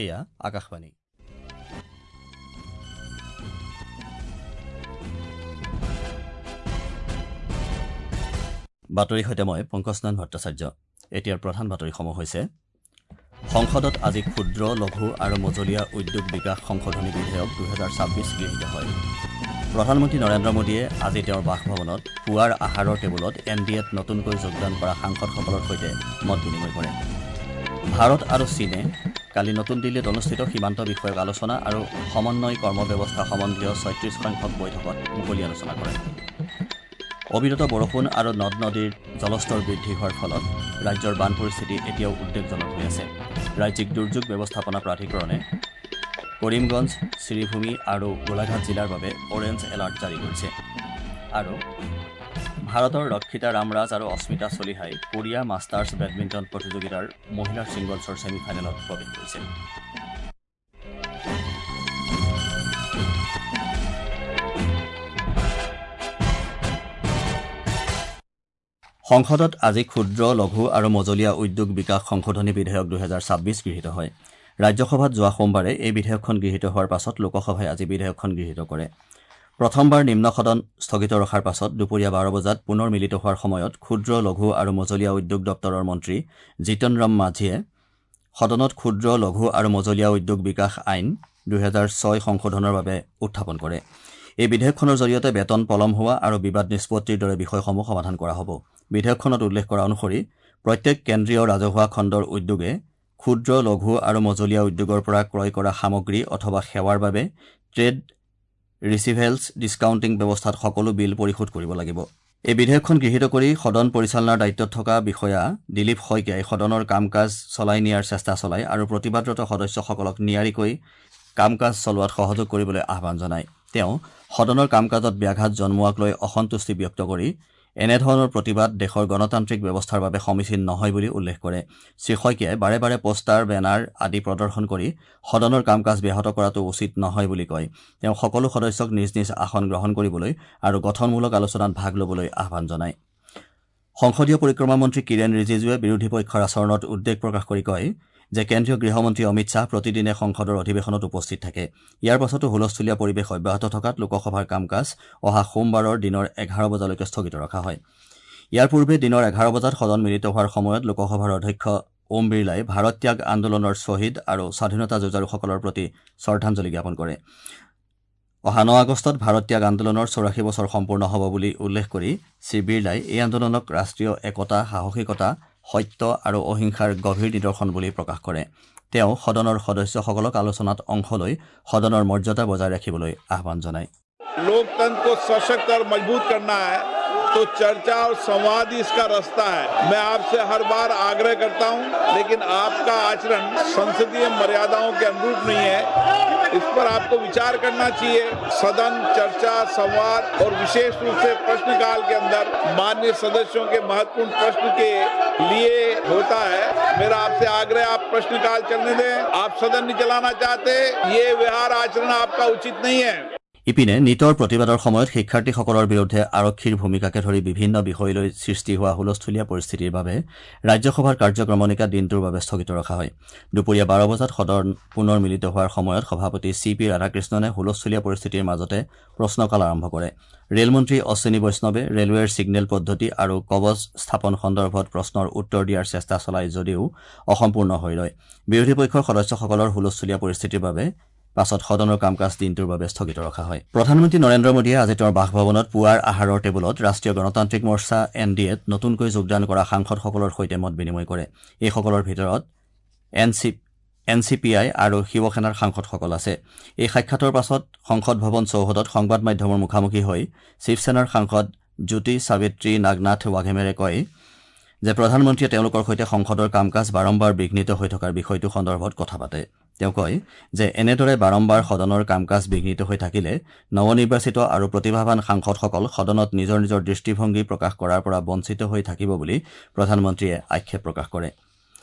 এয়া আকাশবাণী। বাতৰিৰ সৈতে মই পংকজনাথ ভট্টাচাৰ্য। এতিয়াৰ প্ৰধান বাতৰিসমূহ হৈছে: সংসদত আজি ক্ষুদ্ৰ, লঘু আৰু মজলীয়া উদ্যোগ বিকাশ সংশোধনী বিধেয়ক 2026 গৃহীত হয়। প্ৰধানমন্ত্ৰী নৰেন্দ্ৰ মোদীয়ে আজি তেওঁৰ বাসভৱনত পুৱাৰ আহাৰৰ টেবুলত এন ডি এত নতুনকৈ যোগদান কৰা সাংসদসকলৰ সৈতে মত বিনিময় কৰে। ভাৰত আৰু চীনে কালি নতুন দিল্লীত অনুষ্ঠিত সীমান্ত বিষয়ক আলোচনা আৰু সমন্বয় কৰ্ম ব্যৱস্থা সম্বন্ধীয় 36 সংখ্যক বৈঠকত মুকলি আলোচনা কৰে। অবিৰত বৰষুণ আৰু নদ নদীৰ জলস্তৰ বৃদ্ধি হোৱাৰ ফলত ৰাজ্যৰ বান পৰিস্থিতি এতিয়াও উদ্বেগজনক হৈ আছে। ৰাজ্যিক দুৰ্যোগ ব্যৱস্থাপনা প্ৰাধিকৰণে কৰিমগঞ্জ, শ্ৰীভূমি আৰু গোলাঘাট জিলাৰ বাবে অৰেঞ্জ এলাৰ্ট জাৰি কৰিছে। আৰু ভাৰতৰ ৰক্ষিতা ৰামৰাজ আৰু অস্মিতা চলিহাই কোৰিয়া মাষ্টাৰ্ছ বেডমিণ্টন প্ৰতিযোগিতাৰ মহিলাৰ ছিংগলছৰ ছেমি ফাইনেলত প্ৰৱেশ কৰিছে। সংসদত আজি ক্ষুদ্ৰ, লঘু আৰু মজলীয়া উদ্যোগ বিকাশ সংশোধনী বিধেয়ক 2026 গৃহীত হয়। ৰাজ্যসভাত যোৱা সোমবাৰে এই বিধেয়কখন গৃহীত হোৱাৰ পাছত লোকসভাই আজি বিধেয়কখন গৃহীত কৰে। প্ৰথমবাৰ নিম্ন সদন স্থগিত ৰখাৰ পাছত দুপৰীয়া 12 বজাত পুনৰ মিলিত হোৱাৰ সময়ত ক্ষুদ্ৰ, লঘু আৰু মজলীয়া উদ্যোগ দপ্তৰৰ মন্ত্ৰী জিতন ৰাম মাঝীয়ে সদনত ক্ষুদ্ৰ, লঘু আৰু মজলীয়া উদ্যোগ বিকাশ আইন 2006 সংশোধনৰ বাবে উত্থাপন কৰে। এই বিধেয়কখনৰ জৰিয়তে বেতন পলম হোৱা আৰু বিবাদ নিষ্পত্তিৰ দৰে বিষয়সমূহ সমাধান কৰা হ'ব। বিধেয়কখনত উল্লেখ কৰা অনুসৰি প্ৰত্যেক কেন্দ্ৰীয় ৰাজহুৱা খণ্ডৰ উদ্যোগে ক্ষুদ্ৰ, লঘু আৰু মজলীয়া উদ্যোগৰ পৰা ক্ৰয় কৰা সামগ্ৰী অথবা সেৱাৰ বাবে ট্ৰেড ৰিচিভেলছ ডিছকাউণ্টিং ব্যৱস্থাত সকলো বিল পৰিশোধ কৰিব লাগিব। এই বিধেয়কখন গৃহীত কৰি সদন পৰিচালনাৰ দায়িত্বত থকা বিষয়া দিলীপ শইকীয়াই সদনৰ কাম কাজ চলাই নিয়াৰ চেষ্টা চলায় আৰু প্ৰতিবাদৰত সদস্যসকলক নিয়াৰিকৈ কাম কাজ চলোৱাত সহযোগ কৰিবলৈ আহ্বান জনায়। তেওঁ সদনৰ কাম কাজত ব্যাঘাত জন্মোৱাক লৈ অসন্তুষ্টি ব্যক্ত কৰি এনেধৰণৰ প্ৰতিবাদ দেশৰ গণতান্ত্ৰিক ব্যৱস্থাৰ বাবে সমীচীন নহয় বুলি উল্লেখ কৰে। শ্ৰীশইকীয়াই বাৰে বাৰে পোষ্টাৰ, বেনাৰ আদি প্ৰদৰ্শন কৰি সদনৰ কাম কাজ ব্যাহত কৰাটো উচিত নহয় বুলি কয়। তেওঁ সকলো সদস্যক নিজ নিজ আসন গ্ৰহণ কৰিবলৈ আৰু গঠনমূলক আলোচনাত ভাগ ল'বলৈ আহ্বান জনায়। সংসদীয় পৰিক্ৰমা মন্ত্ৰী কিৰেণ ৰিজিজুৱে বিৰোধী পক্ষৰ আচৰণত উদ্বেগ প্ৰকাশ কৰি কয় যে কেন্দ্ৰীয় গৃহমন্ত্ৰী অমিত শ্বাহ প্ৰতিদিনে সংসদৰ অধিৱেশনত উপস্থিত থাকে। ইয়াৰ পাছতো হুলস্থুলীয়া পৰিৱেশ অব্যাহত থকাত লোকসভাৰ কাম কাজ অহা সোমবাৰৰ দিনৰ 11 বজালৈকে স্থগিত ৰখা হয়। ইয়াৰ পূৰ্বে দিনৰ 11 বজাত সদন মিলিত হোৱাৰ সময়ত লোকসভাৰ অধ্যক্ষ ওম বিৰলাই ভাৰত ত্যাগ আন্দোলনৰ শ্বহীদ আৰু স্বাধীনতা যুঁজাৰুসকলৰ প্ৰতি শ্ৰদ্ধাঞ্জলি জ্ঞাপন কৰে। অহা 9 আগষ্টত ভাৰত ত্যাগ আন্দোলনৰ 84 বছৰ সম্পূৰ্ণ হ'ব বুলি উল্লেখ কৰি শ্ৰী বিৰলাই এই আন্দোলনক ৰাষ্ট্ৰীয় একতা, সাহসিকতা, সত্য আৰু অহিংসাৰ গভীৰ নিদৰ্শন বুলি প্ৰকাশ কৰে। তেওঁ সদনৰ সদস্যসকলক আলোচনাত অংশ লৈ সদনৰ মৰ্যাদা বজাই ৰাখিবলৈ আহ্বান জনায়। लोकतंत्र को सशक्त और मजबूत करना है तो चर्चा और संवाद ही इसका रास्ता है। मैं आपसे हर बार आग्रह करता हूं, लेकिन आपका आचरण संसदीय मर्यादाओं के अनुरूप नहीं है। इस पर आपको विचार करना चाहिए। सदन, चर्चा, संवाद और विशेष रूप से प्रश्नकाल के अंदर माननीय सदस्यों के महत्वपूर्ण प्रश्न के लिए होता है। मेरा आपसे आग्रह, आप प्रश्नकाल चलने दें। आप सदन नहीं चलाना चाहते, ये व्यवहार आचरण आपका उचित नहीं है। ইপিনে নীটৰ প্ৰতিবাদৰ সময়ত শিক্ষাৰ্থীসকলৰ বিৰুদ্ধে আৰক্ষীৰ ভূমিকাকে ধৰি বিভিন্ন বিষয় লৈ সৃষ্টি হোৱা হুলস্থুলীয়া পৰিস্থিতিৰ বাবে ৰাজ্যসভাৰ কাৰ্যক্ৰমণিকা দিনটোৰ বাবে স্থগিত ৰখা হয়। দুপৰীয়া 12 বজাত সদন পুনৰ মিলিত হোৱাৰ সময়ত সভাপতি চি পি ৰাধাকৃষ্ণনে হুলস্থুলীয়া পৰিস্থিতিৰ মাজতে প্ৰশ্নকাল আৰম্ভ কৰে। ৰেলমন্ত্ৰী অশ্বিনী বৈষ্ণৱে ৰেলৱেৰ ছিগনেল পদ্ধতি আৰু কৱচ স্থাপন সন্দৰ্ভত প্ৰশ্নৰ উত্তৰ দিয়াৰ চেষ্টা চলায় যদিও অসম্পূৰ্ণ হৈ ৰয়। বিৰোধী পক্ষৰ সদস্যসকলৰ হুলস্থুলীয়া পৰিস্থিতিৰ বাবে পাছত সদনৰ কাম কাজ দিনটোৰ বাবে স্থগিত ৰখা হয়। প্ৰধানমন্ত্ৰী নৰেন্দ্ৰ মোদীয়ে আজি তেওঁৰ বাসভৱনত পুৱাৰ আহাৰৰ টেবুলত ৰাষ্ট্ৰীয় গণতান্ত্ৰিক মৰ্চা এন ডি এত নতুনকৈ যোগদান কৰা সাংসদসকলৰ সৈতে মত বিনিময় কৰে। এইসকলৰ ভিতৰত এন চি পি আই আৰু শিৱসেনাৰ সাংসদসকল আছে। এই সাক্ষাতৰ পাছত সংসদ ভৱন চৌহদত সংবাদ মাধ্যমৰ মুখামুখি হৈ শিৱসেনাৰ সাংসদ জ্যোতি সাবিত্ৰী নাগনাথ ৱাঘেমেৰে কয় যে প্ৰধানমন্ত্ৰীয়ে তেওঁলোকৰ সৈতে সংসদৰ কাম কাজ বাৰম্বাৰ বিঘ্নিত হৈ থকাৰ বিষয়টো সন্দৰ্ভত কথা পাতে। তেওঁ কয় যে এনেদৰে বাৰম্বাৰ সদনৰ কাম কাজ বিঘ্নিত হৈ থাকিলে নৱনিৰ্বাচিত আৰু প্ৰতিভাৱান সাংসদসকল সদনত নিজৰ নিজৰ দৃষ্টিভংগী প্ৰকাশ কৰাৰ পৰা বঞ্চিত হৈ থাকিব বুলি প্ৰধানমন্ত্ৰীয়ে আক্ষেপ প্ৰকাশ কৰে।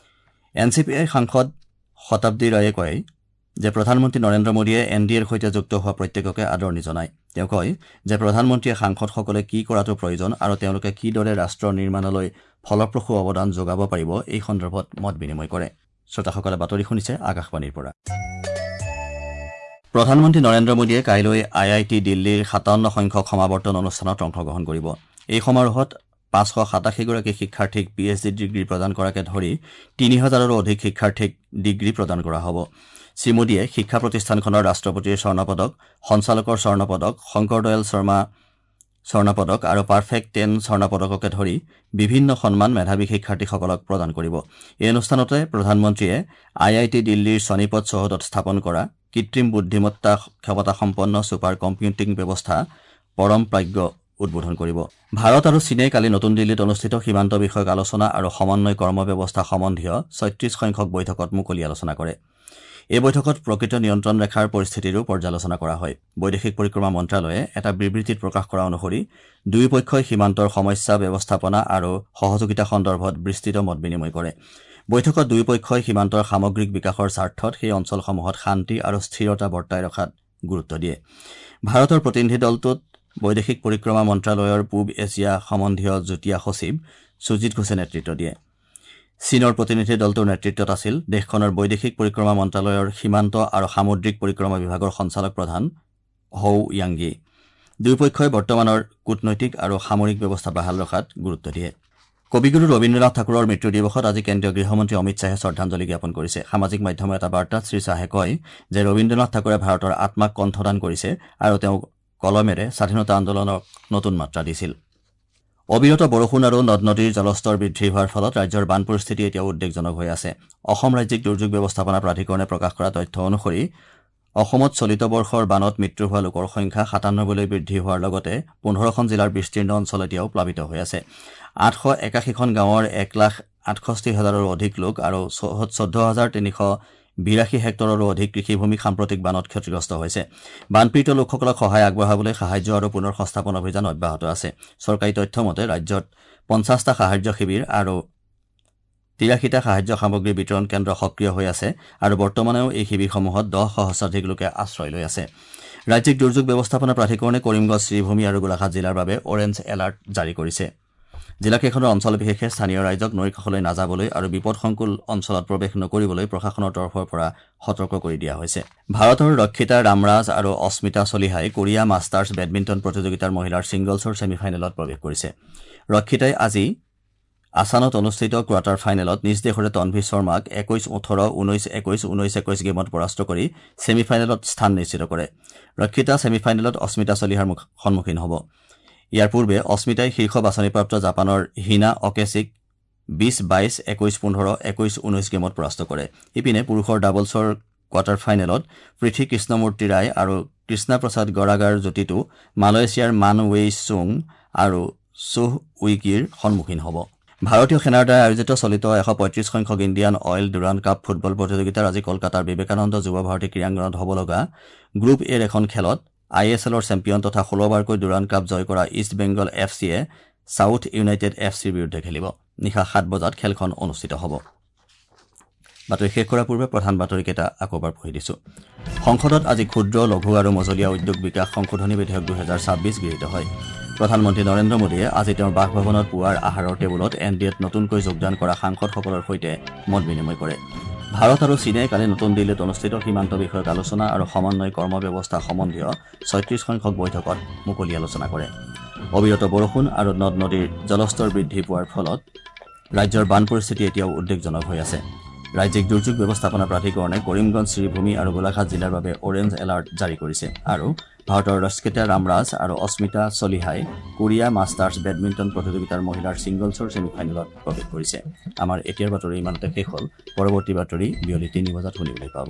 এন চি পি আইৰ সাংসদ শতাব্দী ৰায়ে কয় যে প্ৰধানমন্ত্ৰী নৰেন্দ্ৰ মোদীয়ে এন ডি এৰ সৈতে যুক্ত হোৱা প্ৰত্যেককে আদৰণি জনায়। তেওঁ কয় যে প্ৰধানমন্ত্ৰীয়ে সাংসদসকলে কি কৰাটো প্ৰয়োজন আৰু তেওঁলোকে কিদৰে ৰাষ্ট্ৰ নিৰ্মাণলৈ ফলপ্ৰসূ অৱদান যোগাব পাৰিব এই সন্দৰ্ভত মত বিনিময় কৰে। শ্ৰোতাসকলে বাতৰি শুনিছে আকাশবাণীৰ পৰা। প্ৰধানমন্ত্ৰী নৰেন্দ্ৰ মোদীয়ে কাইলৈ আই I T দিল্লীৰ ৫৭ সংখ্যক সমাৱৰ্তন অনুষ্ঠানত অংশগ্ৰহণ কৰিব। এই সমাৰোহত ৫৮৭গৰাকী শিক্ষাৰ্থীক পি এইচ ডি ডিগ্ৰী প্ৰদান কৰাকে ধৰি ৩০০০ৰো অধিক শিক্ষাৰ্থীক ডিগ্ৰী প্ৰদান কৰা হ'ব। শ্ৰীমোদীয়ে শিক্ষা প্ৰতিষ্ঠানখনৰ ৰাষ্ট্ৰপতিৰ স্বৰ্ণপদক, সঞ্চালকৰ স্বৰ্ণপদক, শংকৰ দয়াল শৰ্মা স্বৰ্ণপদক আৰু পাৰফেক্ট টেন স্বৰ্ণপদককে ধৰি বিভিন্ন সন্মান মেধাৱী শিক্ষাৰ্থীসকলক প্ৰদান কৰিব। এই অনুষ্ঠানতে প্ৰধানমন্ত্ৰীয়ে আই I T দিল্লীৰ চনিপত চৌহদত স্থাপন কৰা কৃত্ৰিম বুদ্ধিমত্তা ক্ষমতাসম্পন্ন ছুপাৰ কম্পিউটিং ব্যৱস্থা পৰম প্ৰাজ্ঞ উদ্বোধন কৰিব। ভাৰত আৰু চীনে কালি নতুন দিল্লীত অনুষ্ঠিত সীমান্ত বিষয়ক আলোচনা আৰু সমন্বয় কৰ্ম ব্যৱস্থা সম্বন্ধীয় ৩৬ সংখ্যক বৈঠকত মুকলি আলোচনা কৰে। এই বৈঠকত প্ৰকৃত নিয়ন্ত্ৰণ ৰেখাৰ পৰিস্থিতিৰো পৰ্যালোচনা কৰা হয়। বৈদেশিক পৰিক্ৰমা মন্ত্ৰালয়ে এটা বিবৃতিত প্ৰকাশ কৰা অনুসৰি দুয়োপক্ষই সীমান্তৰ সমস্যা ব্যৱস্থাপনা আৰু সহযোগিতা সন্দৰ্ভত বিস্তৃত মত বিনিময় কৰে। বৈঠকত দুয়োপক্ষই সীমান্তৰ সামগ্ৰিক বিকাশৰ স্বাৰ্থত সেই অঞ্চলসমূহত শান্তি আৰু স্থিৰতা বৰ্তাই ৰখাত গুৰুত্ব দিয়ে। ভাৰতৰ প্ৰতিনিধি দলটোত বৈদেশিক পৰিক্ৰমা মন্ত্ৰালয়ৰ পূব এছিয়া সম্বন্ধীয় যুটীয়া সচিব সুজিত ঘোষে নেতৃত্ব দিয়ে। চীনৰ প্ৰতিনিধি দলটোৰ নেতৃত্বত আছিল দেশখনৰ বৈদেশিক পৰিক্ৰমা মন্ত্ৰালয়ৰ সীমান্ত আৰু সামুদ্ৰিক পৰিক্ৰমা বিভাগৰ সঞ্চালক প্ৰধান হৌ য়াংগি। দুয়োপক্ষই বৰ্তমানৰ কূটনৈতিক আৰু সামৰিক ব্যৱস্থা বাহাল ৰখাত গুৰুত্ব দিয়ে। কবিগুৰু ৰবীন্দ্ৰনাথ ঠাকুৰৰ মৃত্যু দিৱসত আজি কেন্দ্ৰীয় গৃহমন্ত্ৰী অমিত শ্বাহে শ্ৰদ্ধাঞ্জলি জ্ঞাপন কৰিছে। সামাজিক মাধ্যমৰ এটা বাৰ্তাত শ্ৰীশ্বাহে কয় যে ৰবীন্দ্ৰনাথ ঠাকুৰে ভাৰতৰ আত্মাক কণ্ঠদান কৰিছে আৰু তেওঁ কলমেৰে স্বাধীনতা আন্দোলনক নতুন মাত্ৰা দিছিল। অবিৰত বৰষুণ আৰু নদ নদীৰ জলস্তৰ বৃদ্ধি হোৱাৰ ফলত ৰাজ্যৰ বান পৰিস্থিতি এতিয়াও উদ্বেগজনক হৈ আছে। অসম ৰাজ্যিক দুৰ্যোগ ব্যৱস্থাপনা প্ৰাধিকৰণে প্ৰকাশ কৰা তথ্য অনুসৰি অসমত চলিত বৰ্ষৰ বানত মৃত্যু হোৱা লোকৰ সংখ্যা ৯৭লৈ বৃদ্ধি হোৱাৰ লগতে ১৫খন জিলাৰ বিস্তীৰ্ণ অঞ্চল এতিয়াও প্লাবিত হৈ আছে। ৮৮১খন গাঁৱৰ ১,৬৮,০০০ৰো অধিক লোক আৰু ১৪,৩৮২ হেক্টৰৰো অধিক কৃষিভূমি সাম্প্ৰতিক বানত ক্ষতিগ্ৰস্ত হৈছে। বানপীড়িত লোকসকলক সহায় আগবঢ়াবলৈ সাহায্য আৰু পুনৰ সংস্থাপন অভিযান অব্যাহত আছে। চৰকাৰী তথ্য মতে ৰাজ্যত ৫০টা সাহায্য শিবিৰ আৰু ৮৩টা সাহায্য সামগ্ৰী বিতৰণ কেন্দ্ৰ সক্ৰিয় হৈ আছে আৰু বৰ্তমানেও এই শিবিৰসমূহত ১০ সহস্ৰাধিক লোকে আশ্ৰয় লৈ আছে। ৰাজ্যিক দুৰ্যোগ ব্যৱস্থাপনা প্ৰাধিকৰণে কৰিমগঞ্জ, শ্ৰীভূমি আৰু গোলাঘাট জিলাৰ বাবে অৰেঞ্জ এলাৰ্ট জাৰি কৰিছে। জিলাকেইখনৰ অঞ্চল বিশেষে স্থানীয় ৰাইজক নৈৰ কাষলৈ নাযাবলৈ আৰু বিপদসংকুল অঞ্চলত প্ৰৱেশ নকৰিবলৈ প্ৰশাসনৰ তৰফৰ পৰা সতৰ্ক কৰি দিয়া হৈছে। ভাৰতৰ ৰক্ষিতা ৰামৰাজ আৰু অস্মিতা চলিহাই কোৰিয়া মাষ্টাৰ্ছ বেডমিণ্টন প্ৰতিযোগিতাৰ মহিলাৰ ছিংগলছৰ ছেমি ফাইনেলত প্ৰৱেশ কৰিছে। ৰক্ষিতাই আজি আছানত অনুষ্ঠিত কোৱাৰ্টাৰ ফাইনেলত নিজ দেশৰে তনভি শৰ্মাক ২১-১৮, ১৯-২১, ১৯-২১ গেমত পৰাস্ত কৰি ছেমি ফাইনেলত স্থান নিশ্চিত কৰে। ৰক্ষিতা ছেমি ফাইনেলত অস্মিতা চলিহাৰ সন্মুখীন হ'ব। ইয়াৰ পূৰ্বে অস্মিতাই শীৰ্ষ বাছনিপ্ৰাপ্ত জাপানৰ হিনা অকেচিক ২০-২২, ২১-১৫, ২১-১৯ গেমত পৰাস্ত কৰে। ইপিনে পুৰুষৰ ডাবলছৰ কোৱাৰ্টাৰ ফাইনেলত পৃথি কৃষ্ণমূৰ্তি ৰায় আৰু কৃষ্ণা প্ৰসাদ গৰাগাৰ যুটিটো মালয়েছিয়াৰ মান ৱেই চুং আৰু চুহ উইকিৰ সন্মুখীন হ'ব। ভাৰতীয় সেনাৰ দ্বাৰা আয়োজিত চলিত ১৩৫ সংখ্যক Indian Oil Durand Cup football প্ৰতিযোগিতাৰ আজি কলকাতাৰ বিবেকানন্দ যুৱ ভাৰতী ক্ৰীড়াংগনত হ'ব লগা গ্ৰুপ এৰ এখন খেলত I S এলৰ চেম্পিয়ন তথা ১৬বাৰকৈ ডুৰাণ্ড কাপ জয় কৰা ইষ্ট বেংগল এফ চিয়ে ছাউথ ইউনাইটেড এফ চিৰ বিৰুদ্ধে খেলিব। নিশা ৭ বজাত খেলখন অনুষ্ঠিত হ'ব। বাতৰি শেষ কৰাৰ পূৰ্বে প্ৰধান বাতৰিকেইটা আকৌ এবাৰ পঢ়ি দিছোঁ। সংসদত আজি ক্ষুদ্ৰ, লঘু আৰু মজলীয়া উদ্যোগ বিকাশ সংশোধনী বিধেয়ক ২০২৬ গৃহীত হয়। প্ৰধানমন্ত্ৰী নৰেন্দ্ৰ মোদীয়ে আজি তেওঁৰ বাসভৱনত পুৱাৰ আহাৰৰ টেবুলত এন ডি এত নতুনকৈ যোগদান কৰা সাংসদসকলৰ সৈতে মত বিনিময় কৰে। ভাৰত আৰু চীনে কালি নতুন দিল্লীত অনুষ্ঠিত সীমান্ত বিষয়ক আলোচনা আৰু সমন্বয় কৰ্ম ব্যৱস্থা সম্বন্ধীয় ৩৬ সংখ্যক বৈঠকত মুকলি আলোচনা কৰে। অবিৰত বৰষুণ আৰু নদ নদীৰ জলস্তৰ বৃদ্ধি পোৱাৰ ফলত ৰাজ্যৰ বান পৰিস্থিতি এতিয়াও উদ্বেগজনক হৈ আছে। ৰাজ্যিক দুৰ্যোগ ব্যৱস্থাপনা প্ৰাধিকৰণে কৰিমগঞ্জ, শ্ৰীভূমি আৰু গোলাঘাট জিলাৰ বাবে অৰেঞ্জ এলাৰ্ট জাৰি কৰিছে। আৰু ভাৰতৰ ৰস্কিতা ৰামৰাজ আৰু অস্মিতা চলিহাই কোৰিয়া মাষ্টাৰ্ছ বেডমিণ্টন প্ৰতিযোগিতাৰ মহিলাৰ ছিংগলছৰ ছেমি ফাইনেলত প্ৰৱেশ কৰিছে। আমাৰ এতিয়াৰ বাতৰি ইমানতে শেষ হ'ল। পৰৱৰ্তী বাতৰি বিয়লি ৩ বজাত শুনিবলৈ পাব।